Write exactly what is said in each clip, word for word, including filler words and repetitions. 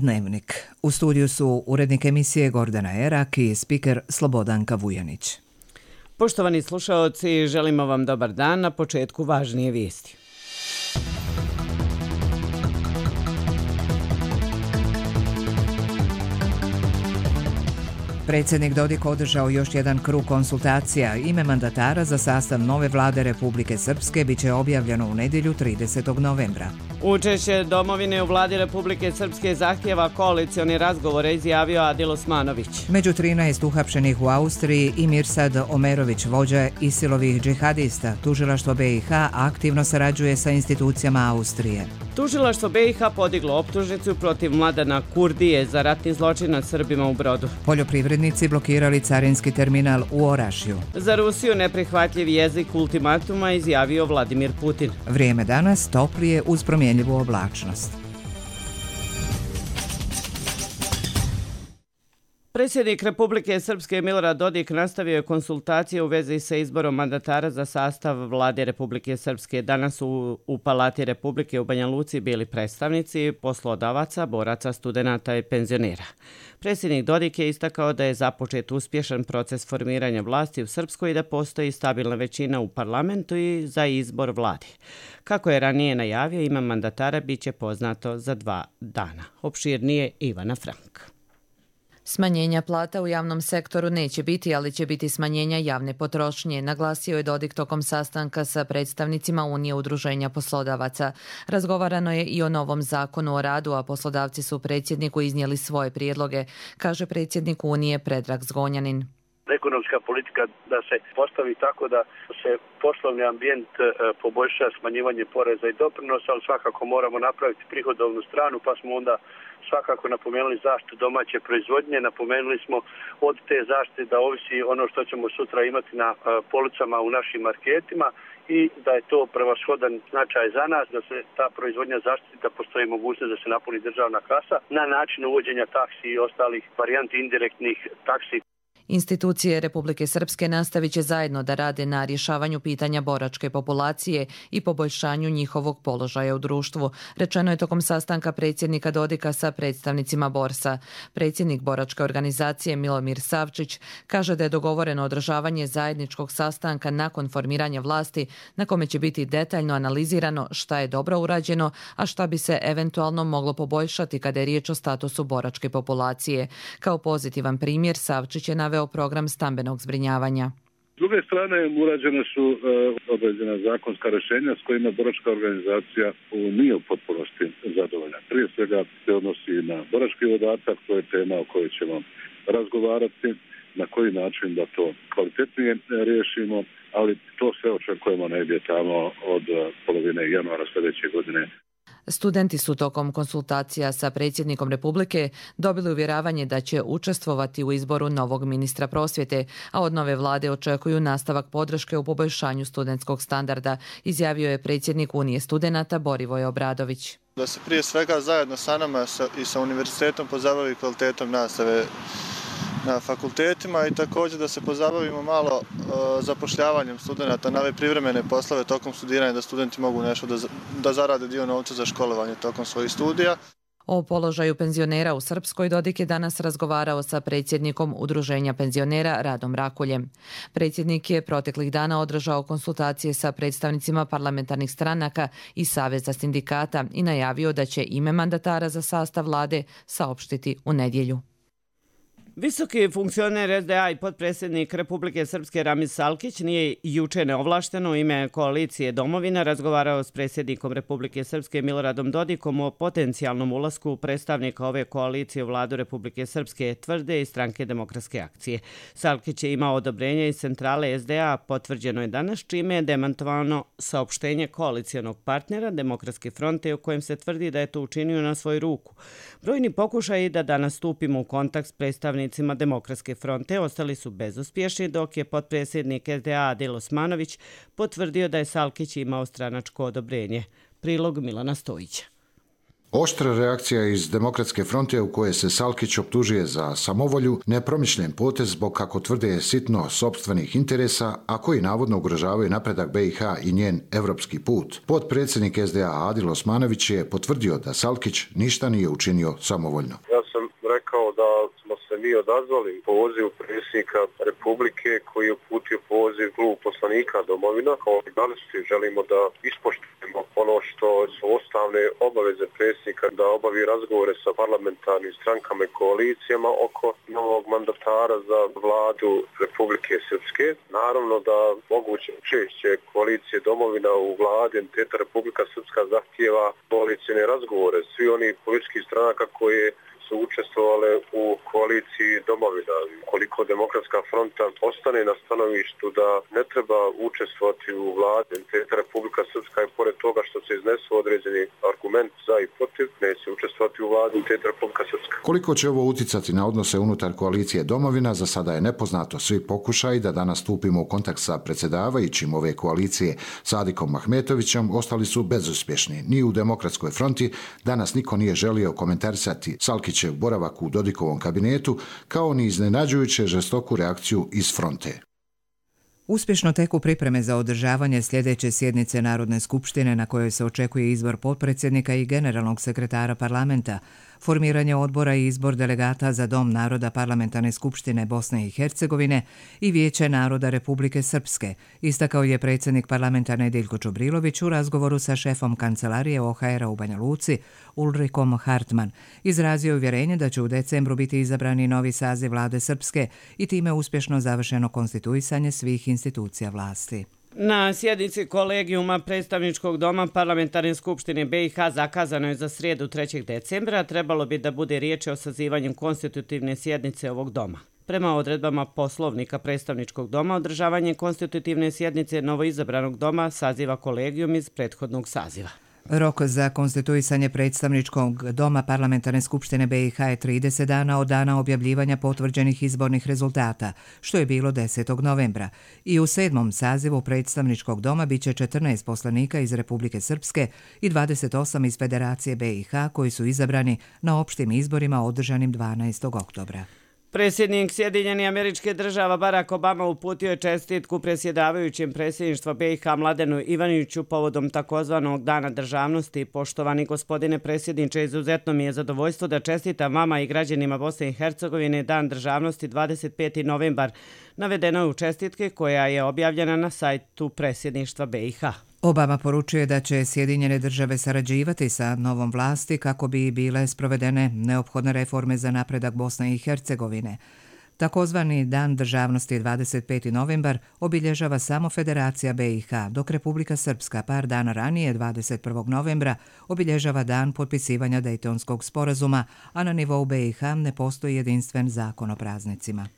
Dnevnik. U studiju su urednik emisije Gordana Erak i spiker Slobodanka Vujanić. Poštovani slušaoci, želimo vam dobar dan. Na početku važnije vijesti. Predsjednik Dodik održao još jedan krug konsultacija. Ime mandatara za sastav nove vlade Republike Srpske biće objavljeno u nedjelju tridesetog novembra. Učešće domovine u vladi Republike Srpske zahtjeva koalicioni razgovore, izjavio Adil Osmanović. Među trinaest uhapšenih u Austriji i Mirsad Omerović, vođa Isilovih džihadista. Tužilaštvo B i H aktivno sarađuje sa institucijama Austrije. Tužilaštvo B i H podiglo optužnicu protiv Mladana Kurdije za ratni zločin nad Srbima u Brodu. Poljoprivrednici blokirali carinski terminal u Orašju. Za Rusiju neprihvatljiv jezik ultimatuma, izjavio Vladimir Putin. Vrijeme danas toplije uz promjenjivu oblačnost. Predsjednik Republike Srpske Milorad Dodik nastavio je konsultacije u vezi sa izborom mandatara za sastav vlade Republike Srpske. Danas u, u Palati Republike u Banja Luci bili predstavnici poslodavaca, boraca, studenata i penzionera. Predsjednik Dodik je istakao da je započet uspješan proces formiranja vlasti u Srpskoj i da postoji stabilna većina u parlamentu i za izbor vlade. Kako je ranije najavio, ime mandatara bit će poznato za dva dana. Opširnije Ivana Frank. Smanjenja plata u javnom sektoru neće biti, ali će biti smanjenja javne potrošnje, naglasio je Dodik tokom sastanka sa predstavnicima Unije udruženja poslodavaca. Razgovarano je i o novom zakonu o radu, a poslodavci su predsjedniku iznijeli svoje prijedloge, kaže predsjednik Unije Predrag Zgonjanin. Ekonomska politika da se postavi tako da se poslovni ambijent poboljša, smanjivanje poreza i doprinosa, ali svakako moramo napraviti prihodovnu stranu, pa smo onda svakako napomenuli zaštitu domaće proizvodnje, napomenuli smo od te zaštite da ovisi ono što ćemo sutra imati na policama u našim marketima i da je to prevashodan značaj za nas, da se ta proizvodnja zaštiti, da postoji mogućnost da se napuni državna kasa na način uvođenja taksi i ostalih varijanti indirektnih taksi. Institucije Republike Srpske nastavit će zajedno da rade na rješavanju pitanja boračke populacije i poboljšanju njihovog položaja u društvu, rečeno je tokom sastanka predsjednika Dodika sa predstavnicima Borsa. Predsjednik boračke organizacije Milomir Savčić kaže da je dogovoreno održavanje zajedničkog sastanka nakon formiranja vlasti na kome će biti detaljno analizirano šta je dobro urađeno, a šta bi se eventualno moglo poboljšati kada je riječ o statusu boračke populacije. Kao pozitivan primjer Savčić je naveo program stambenog zbrinjavanja. S druge strane, urađene su e, određena zakonska rješenja s kojima boračka organizacija nije u potpunosti zadovoljna. Prije svega se odnosi na borački dodatak, to je tema o kojoj ćemo razgovarati, na koji način da to kvalitetnije riješimo, ali to sve očekujemo negdje tamo od polovine januara sljedeće godine. Studenti su tokom konsultacija sa predsjednikom Republike dobili uvjeravanje da će učestvovati u izboru novog ministra prosvjete, a od nove vlade očekuju nastavak podrške u poboljšanju studentskog standarda, izjavio je predsjednik Unije studenata Borivoj Obradović. Da se prije svega zajedno sa nama i sa univerzitetom pozabavi kvalitetom nastave na fakultetima i također da se pozabavimo malo uh, zapošljavanjem studenata na ove privremene poslove tokom studiranja, da studenti mogu nešto da, da zarade dio novca za školovanje tokom svojih studija. O položaju penzionera u Srpskoj Dodik je danas razgovarao sa predsjednikom Udruženja penzionera Radom Rakuljem. Predsjednik je proteklih dana održao konsultacije sa predstavnicima parlamentarnih stranaka i Saveza sindikata i najavio da će ime mandatara za sastav vlade saopštiti u nedjelju. Visoki funkcioner S D A i potpredsjednik Republike Srpske Ramiz Salkić nije juče neovlašteno u ime koalicije Domovina razgovarao s predsjednikom Republike Srpske Miloradom Dodikom o potencijalnom ulasku predstavnika ove koalicije u vladu Republike Srpske, tvrde i Stranke demokratske akcije. Salkić je imao odobrenje iz centrale S D A, potvrđeno je danas, čime je demantovano saopštenje koalicijonog partnera Demokratske fronte u kojem se tvrdi da je to učinio na svoju ruku. Brojni pokušaji da danas stupimo u kontakt s predstavnicima Demokratske fronte ostali su bezuspješni, dok je potpredsjednik S D A Adil Osmanović potvrdio da je Salkić imao stranačko odobrenje. Prilog Milana Stojića. Oštra reakcija iz Demokratske fronte u koje se Salkić optužuje za samovolju, nepromišljen potez zbog, kako tvrde, sitno sopstvenih interesa, a koji navodno ugrožavaju napredak B i H i njen evropski put. Potpredsjednik S D A Adil Osmanović je potvrdio da Salkić ništa nije učinio samovoljno. Ja sam rekao da smo se mi odazvali pozivu predsjednika Republike koji je uputio poziv klubu poslanika Domovina. Kao i želimo da ispoštujemo ono što su ustavne obaveze predsjednika da obavi razgovore sa parlamentarnim strankama i koalicijama oko novog mandatara za vladu Republike Srpske. Naravno da moguće učešće koalicije Domovina u vladi entiteta Republika Srpska zahtijeva koalicijne razgovore. Svi oni politički stranaka koje su učestvovale u koaliciji Domovina. Koliko Demokratska fronta ostane na stanovištu da ne treba učestvovati u vladi entiteta Republika Srpska i pored toga što se iznesu određeni argument za i protiv, neće učestvovati u vladi entiteta Republika Srpska. Koliko će ovo uticati na odnose unutar koalicije Domovina, za sada je nepoznato. Svi pokušaji da danas stupimo u kontakt sa predsjedavajućim ove koalicije Sadikom Mahmetovićem ostali su bezuspješni. Ni u Demokratskoj fronti danas niko nije želio komentarisati Salkić boravak u Dodikovom kabinetu, kao ni iznenađujuće žestoku reakciju iz fronte. Uspješno teku pripreme za održavanje sljedeće sjednice Narodne skupštine na kojoj se očekuje izbor potpredsjednika i generalnog sekretara parlamenta, formiranje odbora i izbor delegata za Dom naroda Parlamentarne skupštine Bosne i Hercegovine i Vijeće naroda Republike Srpske, istakao je predsjednik parlamentarne Diljko Čubrilović u razgovoru sa šefom kancelarije O H R-a u Banja Luci, Ulrikom Hartman. Izrazio uvjerenje da će u decembru biti izabrani novi saziv vlade Srpske i time uspješno završeno konstituisanje svih institucija vlasti. Na sjednici kolegijuma predstavničkog doma Parlamentarne skupštine B i H zakazano je za srijedu trećeg decembra, trebalo bi da bude riječ o sazivanju konstitutivne sjednice ovog doma. Prema odredbama poslovnika predstavničkog doma, održavanje konstitutivne sjednice novoizabranog doma saziva kolegijum iz prethodnog saziva. Rok za konstituisanje predstavničkog doma Parlamentarne skupštine B i H je trideset dana od dana objavljivanja potvrđenih izbornih rezultata, što je bilo desetog novembra. I u sedmom sazivu predstavničkog doma biće četrnaest poslanika iz Republike Srpske i dvadeset osam iz Federacije B i H koji su izabrani na opštim izborima održanim dvanaestog oktobra. Predsjednik Sjedinjenih Američke Država Barack Obama uputio je čestitku predsjedavajućem predsjedništva B i H Mladenu Ivaniću povodom takozvanog Dana državnosti. Poštovani gospodine predsjedniče, izuzetno mi je zadovoljstvo da čestitam vama i građanima Bosne i Hercegovine Dan državnosti dvadeset peti novembar. Navedeno je u čestitke koja je objavljena na sajtu predsjedništva B i H. Obama poručuje da će Sjedinjene države sarađivati sa novom vlasti kako bi bile sprovedene neophodne reforme za napredak Bosne i Hercegovine. Takozvani Dan državnosti dvadeset peti novembar obilježava samo Federacija B i H, dok Republika Srpska par dana ranije, dvadeset prvog novembra, obilježava dan potpisivanja Dejtonskog sporazuma, a na nivou B i H ne postoji jedinstven zakon o praznicima.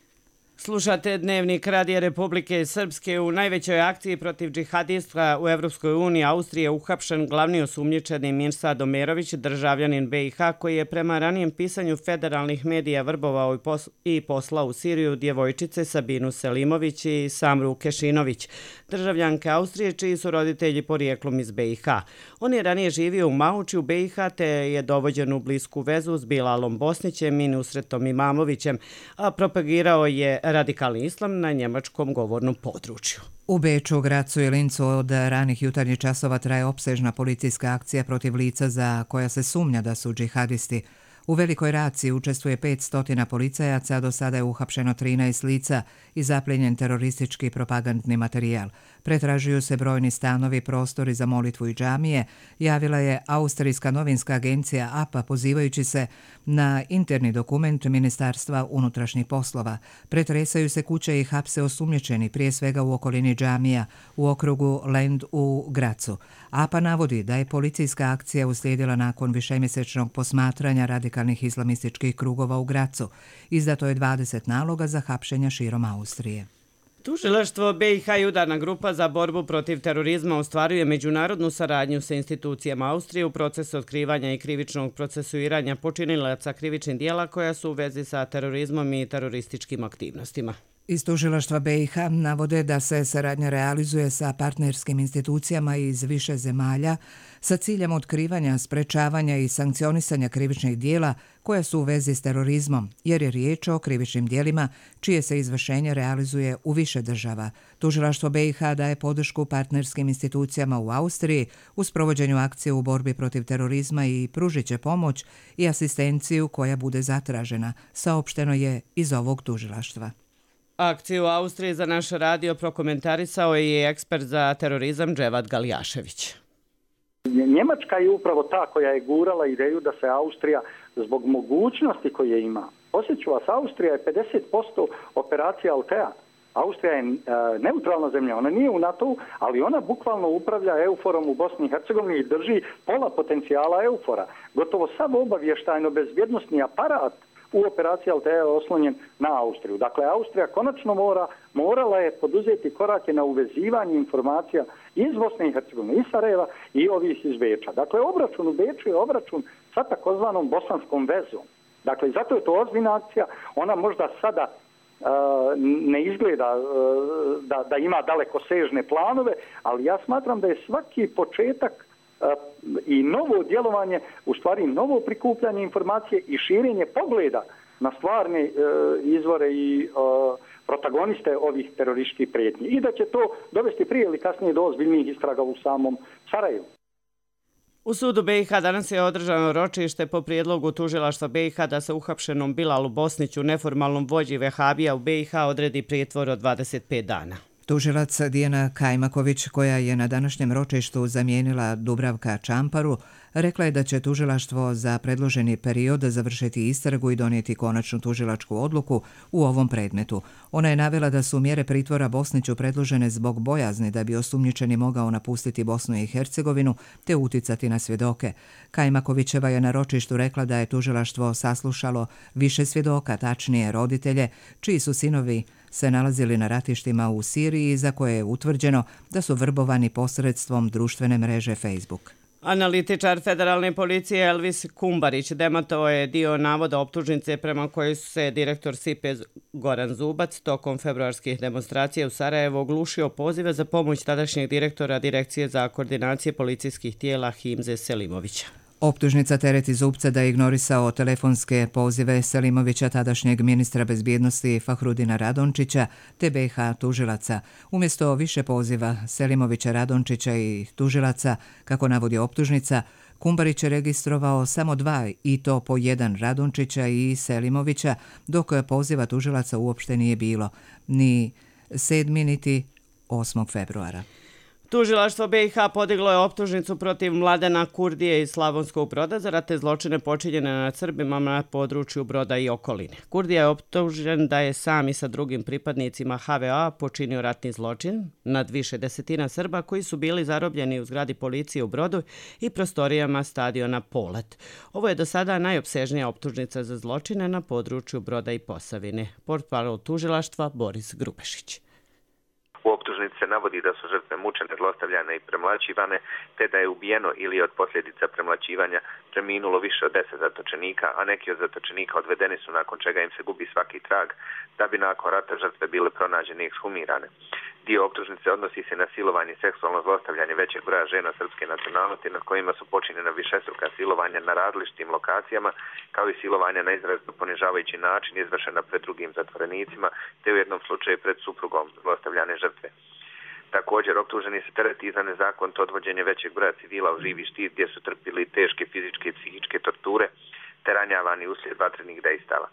Slušate Dnevnik Radija Republike Srpske. U najvećoj akciji protiv džihadista u Evropskoj uniji Austrije uhapšen glavni osumnjičeni Mirsad Omerović, državljanin B i H, koji je prema ranijem pisanju federalnih medija vrbovao i poslao u Siriju djevojčice Sabinu Selimović i Samru Kešinović, državljanke Austrije čiji su roditelji porijeklom iz B i H. On je ranije živio u Mauči u B i H te je dovođen u blisku vezu s Bilalom Bosnićem i Nusretom Imamovićem, a propagirao je radikalni islam na njemačkom govornom području. U Beču, Gracu i Lincu od ranih jutarnjih časova traje opsežna policijska akcija protiv lica za koja se sumnja da su džihadisti. U velikoj raciji učestvuje petsto policajaca, a do sada je uhapšeno trinaest lica i zapljenjen teroristički propagandni materijal. Pretražuju se brojni stanovi, prostori za molitvu i džamije, javila je austrijska novinska agencija A P A pozivajući se na interni dokument Ministarstva unutrašnjih poslova. Pretresaju se kuće i hapse osumnjičeni, prije svega u okolini džamija, u okrugu Lend u Gracu. A P A navodi da je policijska akcija uslijedila nakon višemjesečnog posmatranja radikalnih islamističkih krugova u Gracu. Izdato je dvadeset naloga za hapšenja širom Austrije. Tužilaštvo B i H i udarna grupa za borbu protiv terorizma ostvaruje međunarodnu saradnju sa institucijama Austrije u procesu otkrivanja i krivičnog procesuiranja počinilaca krivičnih dijela koja su u vezi sa terorizmom i terorističkim aktivnostima. Iz tužilaštva B i H navode da se saradnja realizuje sa partnerskim institucijama iz više zemalja sa ciljem otkrivanja, sprečavanja i sankcionisanja krivičnih dijela koja su u vezi s terorizmom, jer je riječ o krivičnim dijelima čije se izvršenje realizuje u više država. Tužilaštvo B i H daje podršku partnerskim institucijama u Austriji u sprovođenju akcije u borbi protiv terorizma i pružit će pomoć i asistenciju koja bude zatražena, saopšteno je iz ovog tužilaštva. Akciju u Austriji za naš radio prokomentarisao je i ekspert za terorizam Dževad Galjašević. Njemačka je upravo ta koja je gurala ideju da se Austrija zbog mogućnosti koje ima. Posjeću vas, Austrija je pedeset posto operacija Altea. Austrija je e, neutralna zemlja, ona nije u NATO-u, ali ona bukvalno upravlja EUFOR-om u Bosni i Hercegovini i drži pola potencijala EUFOR-a. Gotovo sav obavještajno-bezbjednosni aparat u operaciji Altea je oslonjen na Austriju. Dakle, Austrija konačno mora, morala je poduzeti korake na uvezivanje informacija iz Bosne i Hercegovine, iz Sarajeva i ovih iz Beča. Dakle, obračun u Beču je obračun sa takozvanom bosanskom vezom. Dakle, zato je to ozbiljna akcija. Ona možda sada uh, ne izgleda uh, da, da ima dalekosežne planove, ali ja smatram da je svaki početak i novo djelovanje, u stvari novo prikupljanje informacije i širenje pogleda na stvarne e, izvore i e, protagoniste ovih terorističkih prijetnji. I da će to dovesti prije ili kasnije do ozbiljnih istraga u samom Sarajevu. U sudu B i H danas je održano ročište po prijedlogu tužilaštva B i H da se uhapšenom Bilalu Bosniću, neformalnom vođi vehabija u B i H, odredi prijetvor od dvadeset pet dana. Tužilac Dijana Kajmaković, koja je na današnjem ročištu zamijenila Dubravka Čamparu, rekla je da će tužilaštvo za predloženi period završiti istragu i donijeti konačnu tužilačku odluku u ovom predmetu. Ona je navela da su mjere pritvora Bosniću predložene zbog bojazni da bi osumnjičeni mogao napustiti Bosnu i Hercegovinu te uticati na svjedoke. Kajmakovićeva je na ročištu rekla da je tužilaštvo saslušalo više svjedoka, tačnije roditelje, čiji su sinovi se nalazili na ratištima u Siriji za koje je utvrđeno da su vrbovani posredstvom društvene mreže Facebook. Analitičar federalne policije Elvis Kumbarić demantovao je dio navoda optužnice prema kojoj se direktor S I P E Goran Zubac tokom februarskih demonstracija u Sarajevu oglušio pozive za pomoć tadašnjeg direktora Direkcije za koordinacije policijskih tijela Himze Selimovića. Optužnica tereti Zubca da je ignorisao telefonske pozive Selimovića, tadašnjeg ministra bezbjednosti Fahrudina Radončića, te B i H tužilaca. Umjesto više poziva Selimovića, Radončića i tužilaca, kako navodi optužnica, Kumbarić je registrovao samo dva, i to po jedan, Radončića i Selimovića, dok poziva tužilaca uopšte nije bilo, ni sedmog niti osmog februara. Tužilaštvo B i H podiglo je optužnicu protiv Mladena Kurdije iz Slavonskog Broda za ratne zločine počinjene nad Srbima na području Broda i okoline. Kurdija je optužen da je sam i sa drugim pripadnicima H V A počinio ratni zločin nad više desetina Srba koji su bili zarobljeni u zgradi policije u Brodu i prostorijama stadiona Polet. Ovo je do sada najopsežnija optužnica za zločine na području Broda i Posavine. Portparol tužilaštva Boris Grubešić. U optužnici se navodi da su žrtve mučene, zlostavljane i premlaćivane, te da je ubijeno ili od posljedica premlaćivanja preminulo više od deset zatočenika, a neki od zatočenika odvedeni su nakon čega im se gubi svaki trag, da bi nakon rata žrtve bile pronađene i ekshumirane. Dio optužnice odnosi se na silovanje i seksualno zlostavljanje većeg broja žena srpske nacionalnosti nad kojima su počinjena višestruka silovanja na različitim lokacijama, kao i silovanja na izrazito ponižavajući način izvršena pred drugim zatvorenicima, te u jednom slučaju pred suprugom zlostavljane žrtve. Također, optuženi se tereti za nezakonito odvođenje većeg broja civila u živi štit gdje su trpili teške fizičke i psihičke torture te ranjavani uslijed vatrenih dejstava.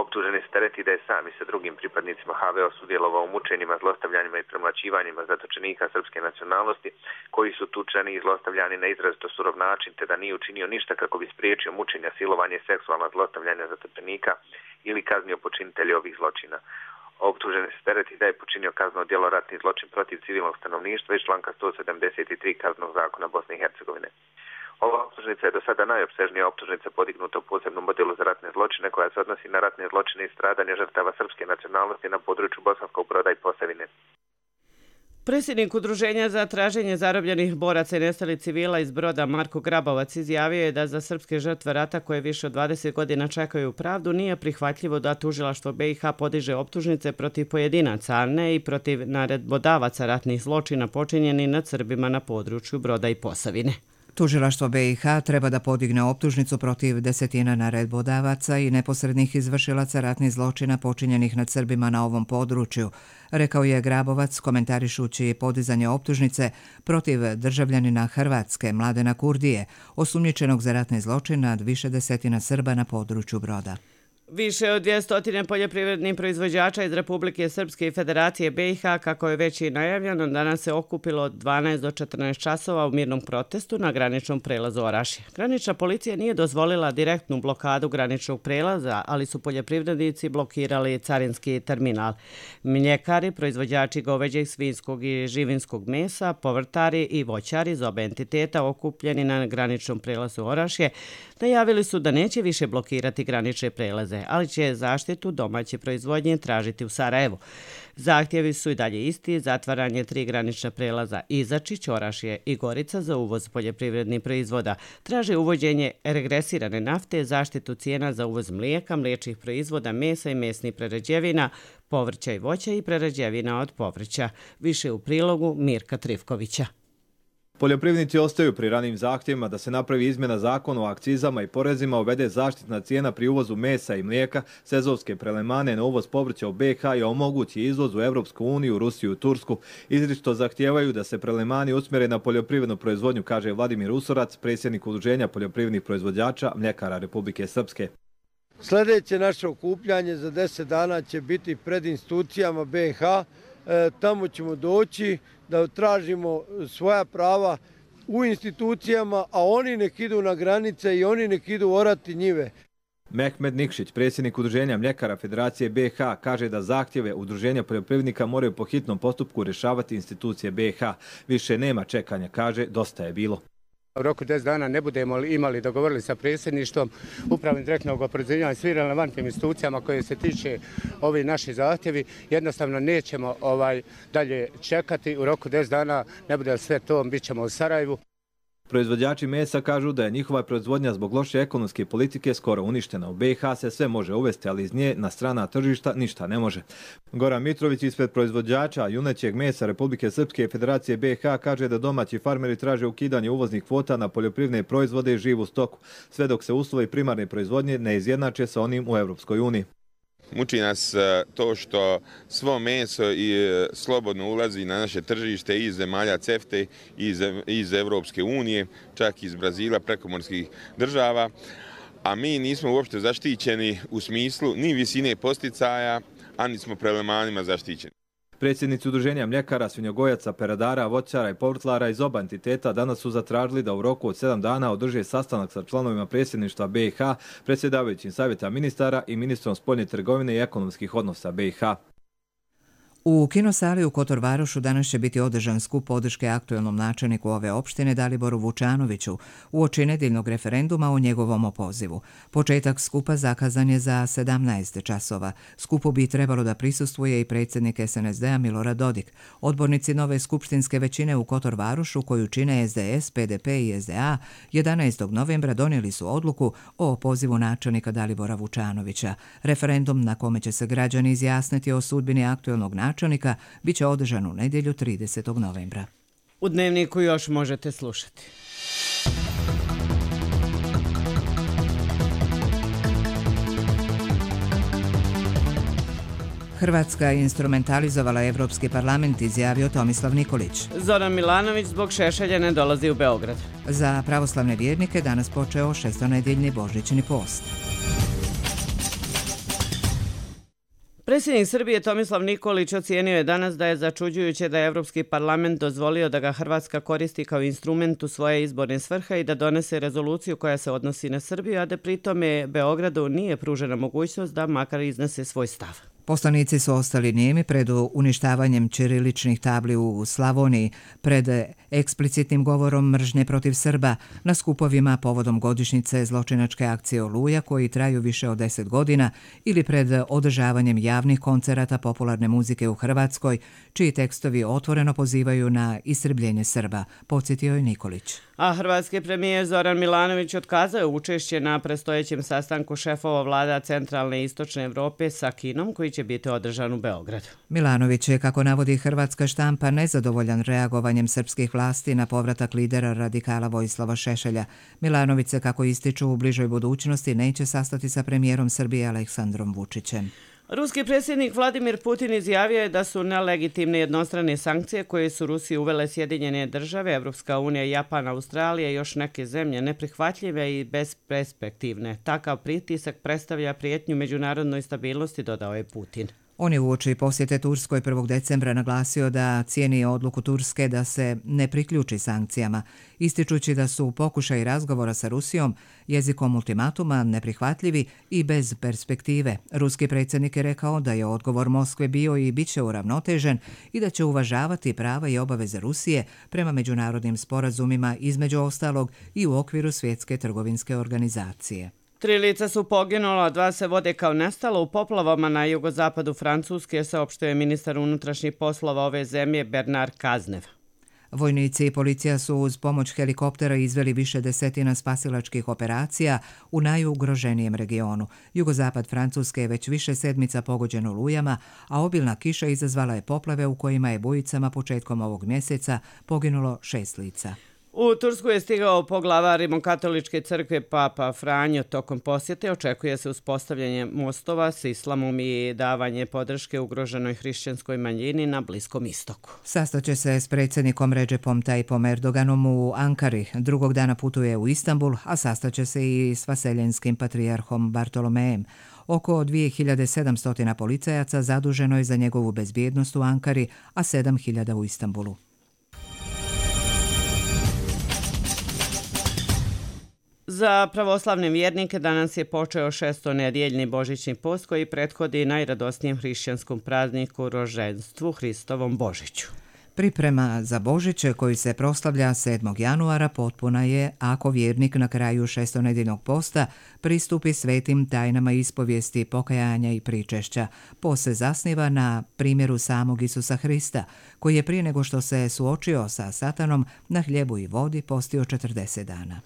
Optuženi se tereti da je sam i sa drugim pripadnicima H V A sudjelovao u mučenjima, zlostavljanjima i premlaćivanjima zatočenika srpske nacionalnosti koji su tučeni i zlostavljani na izrazito surov način te da nije učinio ništa kako bi spriječio mučenja, silovanje i seksualna zlostavljanja zatočenika ili kaznio počinitelje ovih zločina. Optuženi se tereti da je počinio kazneno djelo ratni zločin protiv civilnog stanovništva iz članka sto sedamdeset tri Kaznenog zakona Bosne i Hercegovine. Ova optužnica je do sada najopsežnija optužnica podignuta u posebnom modelu za ratne zločine koja se odnosi na ratne zločine i stradanje žrtava srpske nacionalnosti na području Bosanskog Broda i Posavine. Predsjednik Udruženja za traženje zarobljenih boraca i nestalih civila iz Broda Marko Grabovac izjavio je da za srpske žrtve rata koje više od dvadeset godina čekaju pravdu nije prihvatljivo da tužilaštvo B i H podiže optužnice protiv pojedinaca, a ne i protiv naredbodavaca ratnih zločina počinjenih nad Srbima na području Broda i Posavine. Tužilaštvo B i H treba da podigne optužnicu protiv desetina naredbodavaca i neposrednih izvršilaca ratnih zločina počinjenih nad Srbima na ovom području, rekao je Grabovac komentarišući podizanje optužnice protiv državljanina Hrvatske Mladena Kurdije, osumnjičenog za ratni zločin nad više desetina Srba na području Broda. Više od dvjesto poljoprivrednih proizvođača iz Republike Srpske i Federacije B i H, kako je već i najavljeno, danas se okupilo od dvanaest do četrnaest časova u mirnom protestu na graničnom prelazu Orašje. Granična policija nije dozvolila direktnu blokadu graničnog prelaza, ali su poljoprivrednici blokirali carinski terminal. Mljekari, proizvođači goveđeg, svinjskog i živinskog mesa, povrtari i voćari iz oba entiteta okupljeni na graničnom prelazu Orašje najavili su da neće više blokirati granične prelaze, ali će zaštitu domaće proizvodnje tražiti u Sarajevu. Zahtjevi su i dalje isti, zatvaranje tri granična prelaza Izačić, Orašje i Gorica za uvoz poljoprivrednih proizvoda. Traže uvođenje regresirane nafte, zaštitu cijena za uvoz mlijeka, mliječnih proizvoda, mesa i mesnih prerađevina, povrća i voća i prerađevina od povrća. Više u prilogu Mirka Trivkovića. Poljoprivrednici ostaju pri ranim zahtjevima da se napravi izmjena zakona o akcizama i porezima, uvede zaštitna cijena pri uvozu mesa i mlijeka, sezonske prelemane na uvoz povrća u B i H i omogući izvoz u Evropsku uniju, Rusiju i Tursku. Izričito zahtijevaju da se prelemani usmjere na poljoprivrednu proizvodnju, kaže Vladimir Usorac, predsjednik Udruženja poljoprivrednih proizvođača Mljekara Republike Srpske. Sljedeće naše okupljanje za deset dana će biti pred institucijama B i H. E, tamo ćemo doći da tražimo svoja prava u institucijama, a oni nek idu na granice i oni nek idu orati njive. Mehmed Nikšić, predsjednik Udruženja Mljekara Federacije B i H, kaže da zahtjeve Udruženja poljoprivrednika moraju po hitnom postupku rješavati institucije B i H. Više nema čekanja, kaže, dosta je bilo. U roku deset dana ne budemo imali dogovorili sa predsjedništvom, upravnim direktnog oporezivanja i svim relevantnim institucijama koje se tiče ovi naši zahtjevi, jednostavno nećemo ovaj dalje čekati. U roku deset dana ne bude sve to, bit ćemo u Sarajevu. Proizvođači mesa kažu da je njihova proizvodnja zbog loše ekonomske politike skoro uništena. U B i H se sve može uvesti, ali iz nje na strana tržišta ništa ne može. Goran Mitrović ispred proizvođača junećeg mesa Republike Srpske i Federacije B i H kaže da domaći farmeri traže ukidanje uvoznih kvota na poljoprivredne proizvode i živu stoku, sve dok se uslovi primarne proizvodnje ne izjednače sa onim u Evropskoj uniji. Muči nas to što svo meso i slobodno ulazi na naše tržište iz zemalja CEFTE, iz, iz Evropske unije, čak iz Brazila, prekomorskih država, a mi nismo uopšte zaštićeni u smislu ni visine posticaja, a ni smo prelemanima zaštićeni. Predsjednici Udruženja mljekara, svinjogojaca, peradara, voćara i povrtlara iz oba entiteta danas su zatražili da u roku od sedam dana održe sastanak sa članovima predsjedništva B i H, predsjedavajućim savjeta ministara i ministrom spoljne trgovine i ekonomskih odnosa B i H. U kinosali u Kotor Varošu danas će biti održan skup podrške aktuelnom načelniku ove opštine Daliboru Vučanoviću uoči nedeljnog referenduma o njegovom opozivu. Početak skupa zakazan je za sedamnaest časova. Skupu bi trebalo da prisustvuje i predsjednik S N S D-a Milorad Dodik. Odbornici nove skupštinske većine u Kotor Varošu, koju čine S D S, P D P i S D A, jedanaestog novembra donijeli su odluku o opozivu načelnika Dalibora Vučanovića. Referendum na kome će se građani izjasniti o sudbini aktuelnog načelnika načelnika bit će održan u nedjelju tridesetog novembra. U Dnevniku još možete slušati. Hrvatska je instrumentalizovala Evropski parlament, izjavio Tomislav Nikolić. Zoran Milanović zbog Šešelja ne dolazi u Beograd. Za pravoslavne vjernike danas počeo šestonedjeljni božićni post. Predsjednik Srbije Tomislav Nikolić ocijenio je danas da je začuđujuće da je Evropski parlament dozvolio da ga Hrvatska koristi kao instrument u svoje izborne svrhe i da donese rezoluciju koja se odnosi na Srbiju, a da pritome Beogradu nije pružena mogućnost da makar iznese svoj stav. Poslanici su ostali nijemi pred uništavanjem ćiriličnih tabli u Slavoniji, pred eksplicitnim govorom mržnje protiv Srba, na skupovima povodom godišnjice zločinačke akcije Oluja koji traju više od deset godina ili pred održavanjem javnih koncerata popularne muzike u Hrvatskoj, čiji tekstovi otvoreno pozivaju na istrebljenje Srba, podsjetio je Nikolić. A hrvatski premijer Zoran Milanović otkazao je učešće na predstojećem sastanku šefova vlada centralne i istočne Evrope sa Kinom koji će biti održan u Beogradu. Milanović je, kako navodi hrvatska štampa, nezadovoljan reagovanjem srpskih vlasti na povratak lidera radikala Vojislava Šešelja. Milanović se, kako ističu, u bližoj budućnosti neće sastati sa premijerom Srbije Aleksandrom Vučićem. Ruski predsjednik Vladimir Putin izjavio je da su nelegitimne jednostrane sankcije koje su Rusiji uvele Sjedinjene države, Evropska unija, Japan, Australija i još neke zemlje neprihvatljive i besperspektivne. Takav pritisak predstavlja prijetnju međunarodnoj stabilnosti, dodao je Putin. On je uoči posjete Turskoj prvog decembra naglasio da cijeni odluku Turske da se ne priključi sankcijama, ističući da su pokušaji razgovora sa Rusijom jezikom ultimatuma neprihvatljivi i bez perspektive. Ruski predsjednik je rekao da je odgovor Moskve bio i bit će uravnotežen i da će uvažavati prava i obaveze Rusije prema međunarodnim sporazumima, između ostalog i u okviru Svjetske trgovinske organizacije. Tri lica su poginula, dva se vode kao nestalo u poplavama na jugozapadu Francuske, saopštio je ministar unutrašnjih poslova ove zemlje Bernard Cazeneuve. Vojnici i policija su uz pomoć helikoptera izveli više desetina spasilačkih operacija u najugroženijem regionu. Jugozapad Francuske je već više sedmica pogođen olujama, a obilna kiša izazvala je poplave u kojima je bujicama početkom ovog mjeseca poginulo šest lica. U Tursku je stigao poglavar Rimokatoličke crkve Papa Franjo. Tokom posjete očekuje se uspostavljanje mostova s islamom i davanje podrške ugroženoj hrišćanskoj manjini na Bliskom istoku. Sastaće se s predsjednikom Recepom Tayyipom Erdoganom u Ankari. Drugog dana putuje u Istanbul, a sastaće se i s vaseljenskim patrijarhom Bartolomejem. Oko dvije hiljade sedamsto policajaca zaduženo je za njegovu bezbjednost u Ankari, a sedam hiljada u Istanbulu. Za pravoslavne vjernike danas je počeo šestonedjeljni božićni post koji prethodi najradosnijem hrišćanskom prazniku rođenstvu Hristovom Božiću. Priprema za Božić koji se proslavlja sedmog januara potpuna je ako vjernik na kraju šestonedjeljnog posta pristupi svetim tajnama ispovijesti, pokajanja i pričešća. Post se zasniva na primjeru samog Isusa Hrista, koji je prije nego što se suočio sa Satanom na hljebu i vodi postio četrdeset dana.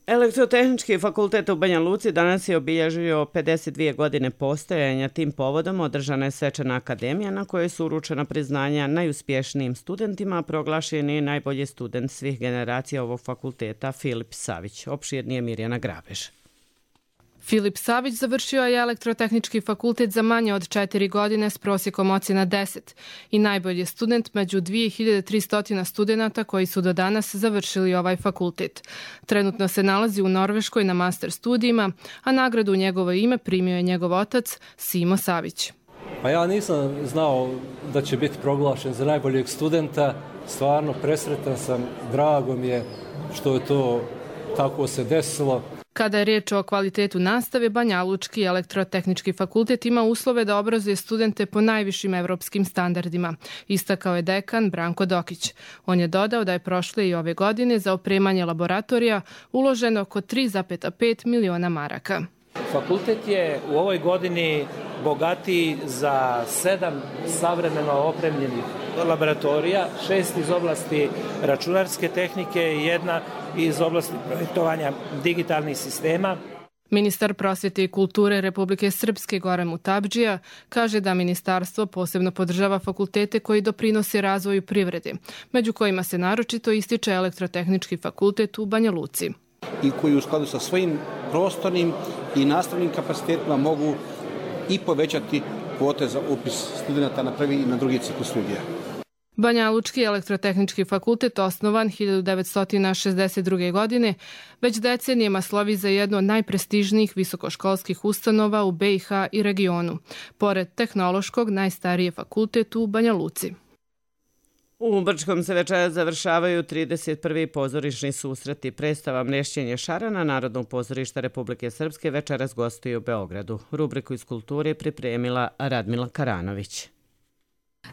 Elektrotehnički fakultet u Banja Luci danas je obilježio pedeset dvije godine postojanja. Tim povodom održana je svečana akademija na kojoj su uručena priznanja najuspješnijim studentima, proglašen je najbolji student svih generacija ovog fakulteta Filip Savić. Opširnije Mirjana Grabež. Filip Savić završio je Elektrotehnički fakultet za manje od četiri godine s prosjekom ocjena deset i najbolji je student među dvije hiljade tristo studenata koji su do danas završili ovaj fakultet. Trenutno se nalazi u Norveškoj na master studijima, a nagradu u njegovo ime primio je njegov otac Simo Savić. Pa ja nisam znao da će biti proglašen za najboljeg studenta. Stvarno presretan sam, drago mi je što je to tako se desilo. Kada je riječ o kvalitetu nastave, Banja Lučki Elektrotehnički fakultet ima uslove da obrazuje studente po najvišim evropskim standardima, istakao je dekan Branko Dokić. On je dodao da je prošle i ove godine za opremanje laboratorija uloženo oko tri zarez pet miliona maraka. Fakultet je u ovoj godini bogatiji za sedam savremeno opremljenih laboratorija, šest iz oblasti računarske tehnike i jedna iz oblasti projektovanja digitalnih sistema. Ministar prosvjete i kulture Republike Srpske Goran Mutabdžija kaže da ministarstvo posebno podržava fakultete koji doprinose razvoju privrede, među kojima se naročito ističe Elektrotehnički fakultet u Banja Luci. I koji u skladu sa svojim prostornim i nastavnim kapacitetima mogu i povećati kvote za upis studenta na prvi i na drugi ciklus studija. Banja Lučki Elektrotehnički fakultet, osnovan hiljadu devetsto šezdeset druge. godine, već decenijama slovi za jednu od najprestižnijih visokoškolskih ustanova u B i H i regionu. Pored tehnološkog, najstariji je fakultet u Banja Luci. U Brčkom se večeras završavaju trideset prvi pozorišni susreti. Predstava Mrešćenje šarana Narodnog pozorišta Republike Srpske večeras gostuje u Beogradu. Rubriku iz kulture je pripremila Radmila Karanović.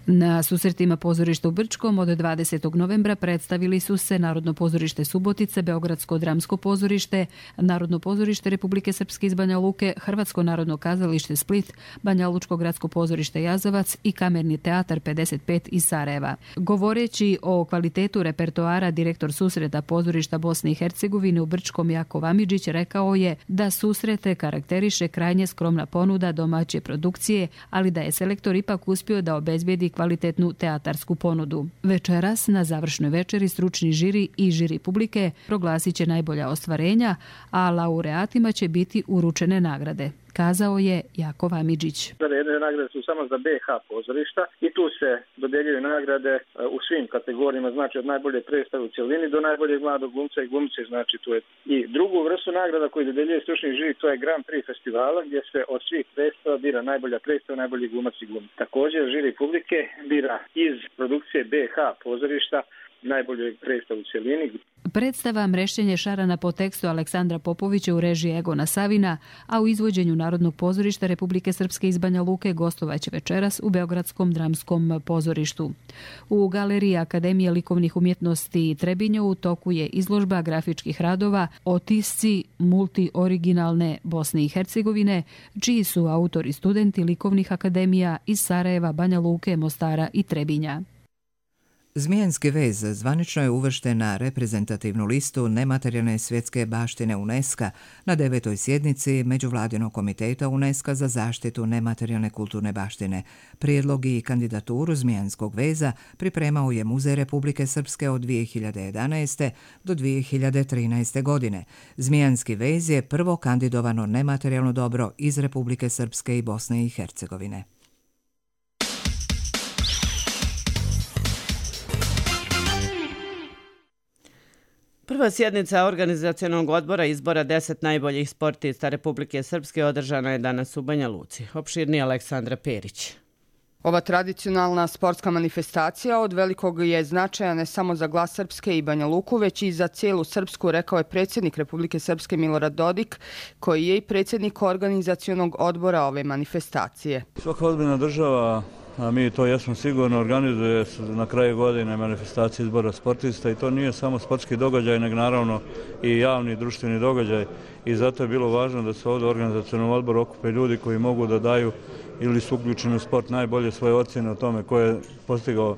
Na susretima pozorišta u Brčkom od dvadesetog novembra predstavili su se Narodno pozorište Subotice, Beogradsko dramsko pozorište, Narodno pozorište Republike Srpske iz Banja Luke, Hrvatsko narodno kazalište Split, Banja Lučko gradsko pozorište Jazavac i Kamerni teatar pedeset pet iz Sarajeva. Govoreći o kvalitetu repertoara, direktor susreta pozorišta Bosne i Hercegovine u Brčkom Jakov Amidžić rekao je da susrete karakteriše krajnje skromna ponuda domaće produkcije, ali da je selektor ipak uspio da obezbedi kvalitetnu teatarsku ponudu. Večeras na završnoj večeri stručni žiri i žiri publike proglasit će najbolja ostvarenja, a laureatima će biti uručene nagrade, kazao je Jakov Amidžić. Jedne nagrade su samo za B H pozorišta i tu se dodeljuju nagrade u svim kategorijama, znači od najbolje predstave u cjelini do najboljeg mladog glumca i glumice, znači tu je. I drugu vrstu nagrada koju dodeljuje stručni žiri, to je Grand Prix festivala gdje se od svih predstava bira najbolja predstava, najbolji glumac i glumica. Također žiri publike bira iz produkcije B H pozorišta najbolju predstavu u cjelini. Predstava Mrešćenje šarana po tekstu Aleksandra Popovića u režiji Egona Savina, a u izvođenju Narodnog pozorišta Republike Srpske iz Banja Luke gostovaće večeras u Beogradskom dramskom pozorištu. U Galeriji Akademije likovnih umjetnosti Trebinje u toku je izložba grafičkih radova Otisci multioriginalne Bosne i Hercegovine, čiji su autori studenti likovnih akademija iz Sarajeva, Banja Luke, Mostara i Trebinja. Zmijanski vez zvanično je uvršten na reprezentativnu listu nematerijalne svjetske baštine UNESCO na devetoj sjednici Međuvladinog komiteta UNESCO za zaštitu nematerijalne kulturne baštine. Prijedlog i kandidaturu Zmijanskog veza pripremao je Muzej Republike Srpske od dvije hiljade jedanaeste do dvije hiljade trinaeste godine. Zmijanski vez je prvo kandidovano nematerijalno dobro iz Republike Srpske i Bosne i Hercegovine. Prva sjednica organizacionog odbora izbora deset najboljih sportista Republike Srpske održana je danas u Banja Luci. Opširnije Aleksandra Perić. Ova tradicionalna sportska manifestacija od velikog je značaja ne samo za glas Srpske i Banja Luku, već i za cijelu Srpsku, rekao je predsjednik Republike Srpske Milorad Dodik, koji je i predsjednik organizacionog odbora ove manifestacije. Svaka ozbiljna država, a mi to jesmo sigurno, organizuje na kraju godine manifestacije izbora sportista i to nije samo sportski događaj, nego naravno i javni društveni događaj i zato je bilo važno da se ovdje u organizacionom odboru okupe ljudi koji mogu da daju ili su uključeni u sport najbolje svoje ocjene o tome ko je postigao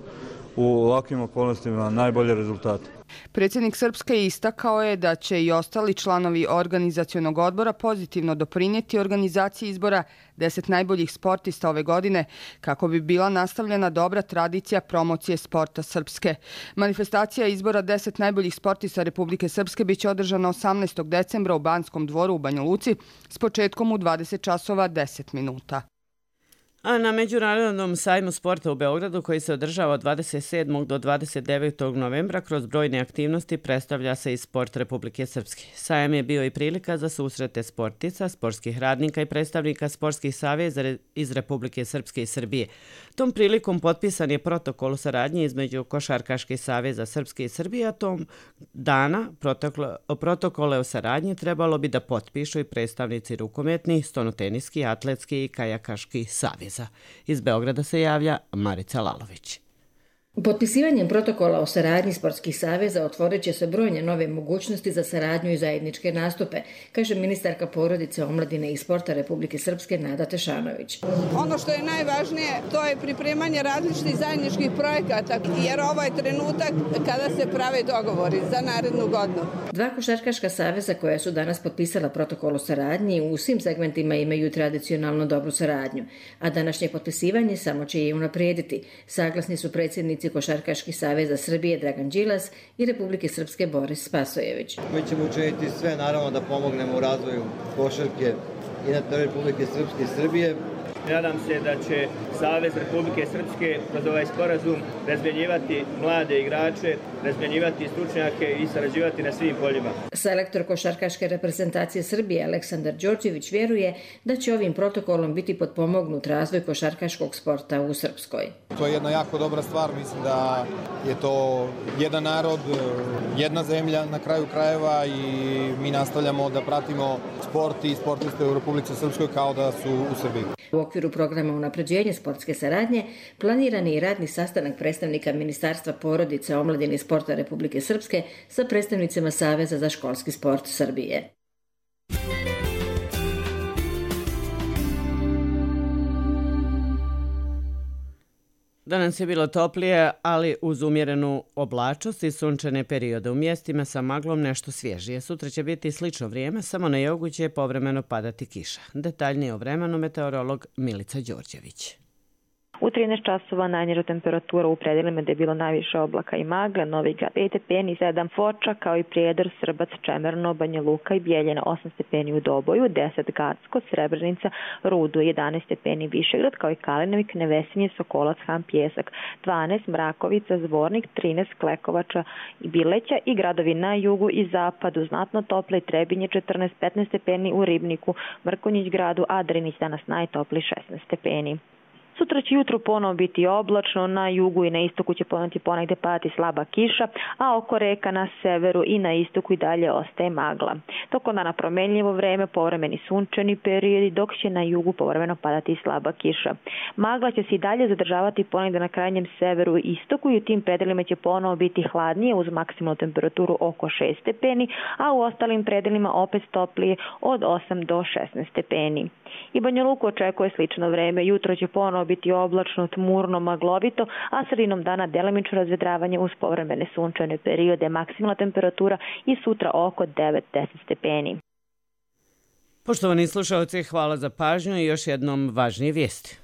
u ovakvim okolnostima najbolje rezultate. Predsjednik Srpske istakao je da će i ostali članovi organizacionog odbora pozitivno doprinijeti organizaciji izbora deset najboljih sportista ove godine kako bi bila nastavljena dobra tradicija promocije sporta Srpske. Manifestacija izbora deset najboljih sportista Republike Srpske biće održana osamnaestog decembra u Banskom dvoru u Banja Luci s početkom u dvadeset časova deset minuta. A na Međunarodnom sajmu sporta u Beogradu, koji se održava od dvadeset sedmog do dvadeset devetog novembra, kroz brojne aktivnosti predstavlja se i sport Republike Srpske. Sajam je bio i prilika za susrete sportica, sportskih radnika i predstavnika sportskih saveza iz Republike Srpske i Srbije. Tom prilikom potpisan je protokol o saradnji između Košarkaških saveza Srpske i Srbije, a tom dana protokole o saradnji trebalo bi da potpišu i predstavnici rukometni, stonoteniski, atletski i kajakaški savez. Iz Beograda se javlja Marica Lalović. Potpisivanjem protokola o saradnji sportskih saveza otvorit će se brojne nove mogućnosti za saradnju i zajedničke nastupe, kaže ministarka porodice, omladine i sporta Republike Srpske Nada Tešanović. Ono što je najvažnije, to je pripremanje različitih zajedničkih projekata, jer ovo je trenutak kada se prave dogovori za narednu godinu. Dva košarkaška saveza koja su danas potpisala protokol o saradnji u svim segmentima imaju tradicionalno dobru saradnju, a današnje potpisivanje samo će je unaprijediti. Saglasni su predsjednici Košarkaških saveza Srbije Dragan Đilas i Republike Srpske Boris Spasojević. Mi ćemo učiniti sve, naravno, da pomognemo u razvoju košarke i na teritoriji Republike Srpske i Srbije. Nadam se da će Savez Republike Srpske kroz ovaj sporazum razmjenjivati mlade igrače, razmjenjivati stručnjake i sarađivati na svim poljima. Selektor košarkaške reprezentacije Srbije Aleksandar Đorđević vjeruje da će ovim protokolom biti potpomognut razvoj košarkaškog sporta u Srpskoj. To je jedna jako dobra stvar, mislim da je to jedan narod, jedna zemlja na kraju krajeva i mi nastavljamo da pratimo sport i sportiste u Republici Srpskoj kao da su u Srbiji. U okviru programa unapređenja sportske saradnje planiran je i radni sastanak predstavnika Ministarstva porodice, omladine i sporta Republike Srpske sa predstavnicima Saveza za školski sport Srbije. Danas je bilo toplije, ali uz umjerenu oblačost i sunčane periode. U mjestima sa maglom nešto svježije. Sutra će biti slično vrijeme, samo na jugu će povremeno padati kiša. Detaljnije o vremenu meteorolog Milica Đorđević. U trinaest časova najniža temperatura u predelima gde je bilo najviše oblaka i magle, Novi Grad pet stepeni, sedam Foča, kao i Prijedor, Srbac, Čemerno, Banja Luka i Bijeljina, osam stepeni u Doboju, deset Gacko, Srebrenica, Rudo, jedanaest stepeni Višegrad, kao i Kalinovik, Nevesinje, Sokolac, Han, Pjesak, dvanaest Mrakovica, Zvornik, trinaest Klekovača i Bileća i gradovi na jugu i zapadu znatno tople, Trebinje četrnaest, petnaest stepeni u Ribniku, Mrkonjić gradu, a Drinić danas najtopli šesnaest stepeni. Sutra će jutro ponovo biti oblačno, na jugu i na istoku će ponovno ponegde padati slaba kiša, a oko reka na severu i na istoku i dalje ostaje magla. Tokom dana promenljivo vreme, povremeni sunčani periodi, dok će na jugu povremeno padati slaba kiša. Magla će se i dalje zadržavati ponegde na krajnjem severu i istoku i u tim predelima će ponovo biti hladnije uz maksimalnu temperaturu oko šest stepeni, a u ostalim predelima opet toplije od osam do šesnaest stepeni. I Banja Luku očekuje slično vreme. Jutro će ponovo biti oblačno, tmurno, maglovito, a sredinom dana delimično razvedravanje uz povremene sunčane periode. Maksimalna temperatura i sutra oko devet do deset stepeni. Poštovani slušalci, hvala za pažnju i još jednom važnije vijesti.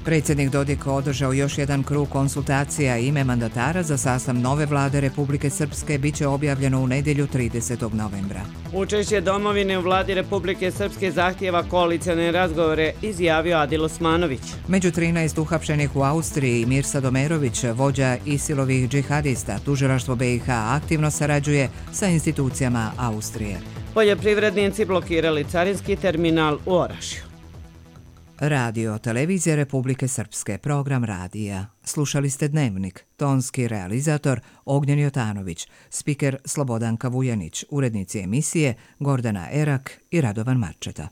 Predsjednik Dodik održao još jedan krug konsultacija. Ime mandatara za sastav nove vlade Republike Srpske biće objavljeno u nedjelju tridesetog novembra. Učešće domovine u vladi Republike Srpske zahtijeva koalicione razgovore, izjavio Adil Osmanović. Među trinaest uhapšenih u Austriji Mirsa Domerović, vođa Isilovih džihadista, tužilaštvo B i H aktivno sarađuje sa institucijama Austrije. Poljoprivrednici blokirali carinski terminal u Orašju. Radio Televizija Republike Srpske, program radija. Slušali ste Dnevnik, tonski realizator Ognjen Jotanović, spiker Slobodanka Vujanić, urednici emisije Gordana Erak i Radovan Marčeta.